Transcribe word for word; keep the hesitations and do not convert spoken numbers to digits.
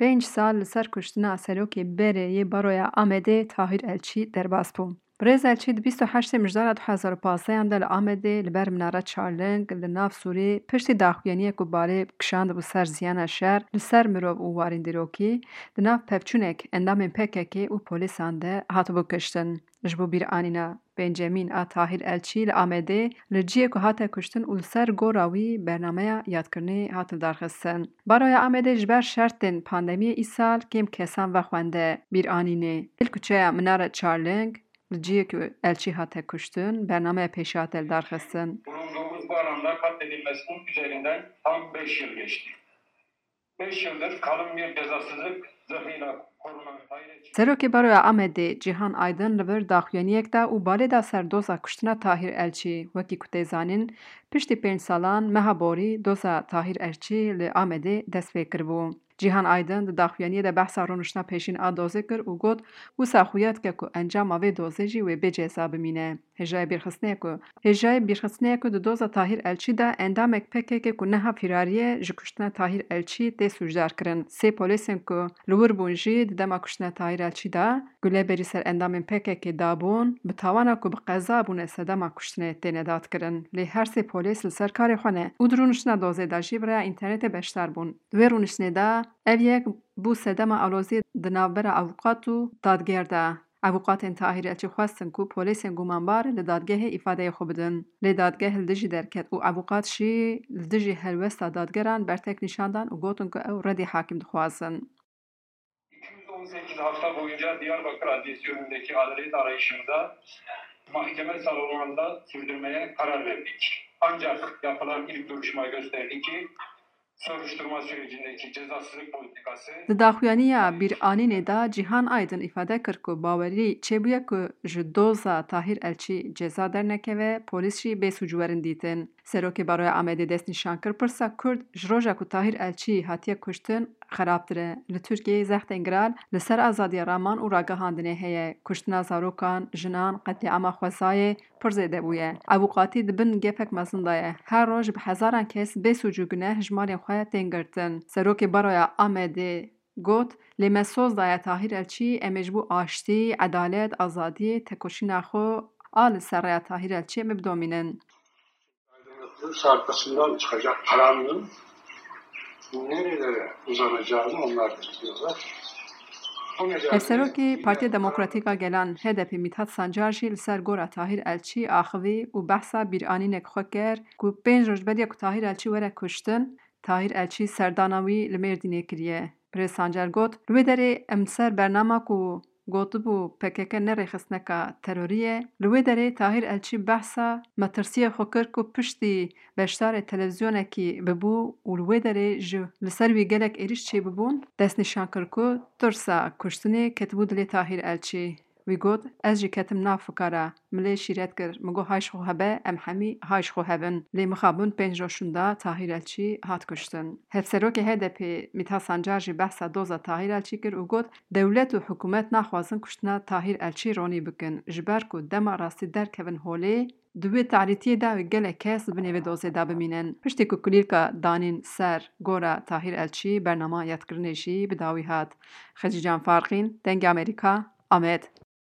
Pênc sal li ser kuştina serokê berê yê Baroya Amedê Tahîr Elçî derbas bû. Birêz Elçî di bîst û heştê Mijdara du hezar û pazdeh de li Amedê li ber Minare Çarling li nav Sûrê piştî daxuyaniyek ku balê kişandibû ser ziyana şer li ser mirov û warîndîrokî, di nav pevçûnek endamên P K K û polîsan de hatibû kiştin. Ji bo bîranîna pêncemîn a Tahîr Elçî li Amedê li cihê ku hate kuştin û li ser gora wî bernameya yadkirinê hat lidarxistin. Baroya Amedê ji ber şertên pandemiyê îsal kêm kesan vexwende bîranînê. Li kuçeya Minare Çarling, li cihê ku Elçî hate kuştin, bernameya pêşî hate lidarxistin. Bulunduğumuz bu alanda katledilmesinin üzerinden tam beş yıl geçti. Beş yıldır kalın bir cezasızlık zırhıyla korunan Tahir Elçi Serokê Baroya Amedê Cîhan Aydin li vir daxuyaniyek da û balê da ser doza kuştina Tahîr Elçî. Wekî ku tê zanîn, piştî pênc salan meha borî doza Tahîr Elçî li Amedê dest pê kiribû. Cîhan Aydin di daxuyaniyê de behsa rûniştina pêşîn a dozê kir û got, wisa xuya dike ku encama vê dozê jî wê bê ceza bimîne. Hêjayê bîrxistinê ye ku, hêjayê bîrxistinê ye ku di doza Tahîr Elçî de endamek P K K ku niha fîrarî ye, ji kuştina Tahîr Elçî tê sûcdar kirin. Sê polêsên ku li wir bûn jî di dema kuştina Tahîr Elçî de gule berî ser endamên P K K dabûn, bi tawana ku bi qeza bûne sedema kuştinê têne dadkirin. Lê her sê polês li ser karê xwe ne û di rûniştina dozê de jî bi rêya înternetê beşdar bûn. Di wê rûniştinê de ev yek bû sedema aloziyê di navbera avûkat û dadger de. Avûkatên Tahîr Elçî xwestin ku polêsên gumanbar li dadgehê îfadeyê xwe bidin. Lê dadgeh li dijî derket û avûkat jî li dijî helwesta dadgeran bertek nîşan dan û gotin ku ew redî hakîm dixwazin. iki yüz on sekiz hafta boyunca Diyarbakır Adliyesi önündeki adalet arayışımıza mahkeme salonlarında sürdürmeye karar verdik. Ancak yapılan ilk duruşma gösterdi ki soruşturma sürecindeki cezasızlık politikası Di daxuyaniya bîranînê de Cîhan Aydin îfade kir ku bawerî çêbûye ku ji doza Tahîr Elçî ceza dernekeve, polîs jî bê sûc werin dîtin. Serokê Baroya Amedê destnîşan kir, pirsa Kurd ji roja ku Tahîr Elçî hatiye kuştin xerabtir e. Li Tirkiyeyê zextên giran li ser azadiya raman û ragihandinê heye. Kuştina zarokan, jinan, qetlîama xwezayê pir zêde bûye. Avûkatî di bin gefek mezin de ye. Her roj bi hezaran kes bê sûc û guneh ji malên xwe tên girtin. Serokê Baroya Amedê got, lê me soz daye Tahîr Elçî, em ê ji bo aştî, edalet, azadiyê, tekoşîna xwe a li ser rêya Tahîr Elçî em ê bidomînin. Aydınlatılmış arkasından çıkacak karanlığın nerelere uzanacağını onlar da biliyorlar. O nedenle Hevserokê Partiya Demokratîk a Gelan H D P Mithat Sancar jî li ser gora Tahîr Elçî axivî û behsa bîranînek xwe kir ku pênc roj beriya ku Tahîr Elçî were kuştin, Tahîr Elçî serdana wî li Mêrdînê kiriye. Birêz Sancar got, li wê derê em ser bernama ku gotibû P K K ne rêxistineka terorî ye. Li wê derê Tahîr Elçî behsa metirsiyê xwe kir ku piştî beşdarê televîzyonekî bibû û li wê derê ji li ser wî gelek êrîş çêbibûn, destnîşan kir ku tirsa kuştinê ketibû dilê Tahîr Elçî. Wî got, ez jî ketim nav fikara. Min lê şîret kir. Min got, hay ji xwe hebe, em hemî hay ji xwe hebin. Lê mixabin pênc roj şûnda Tahîr Elçî hat kuştin. Hevserokê H D P Mithat Sancar jî behsa doza Tahîr Elçî kir û got, dewlet û hikûmet naxwazin kuştina Tahîr Elçî ronî bikin, ji ber ku dema rastî derkevin holê, di wê tarîtiyê de gelek kes di binê vê dozê de bimînin. Piştî ku kulîlka danîn ser gora Tahîr Elçî, bernama yadkirinê jî bi dawî hat. Xecîcan Farqîn, Dengê Amerîka, Amed.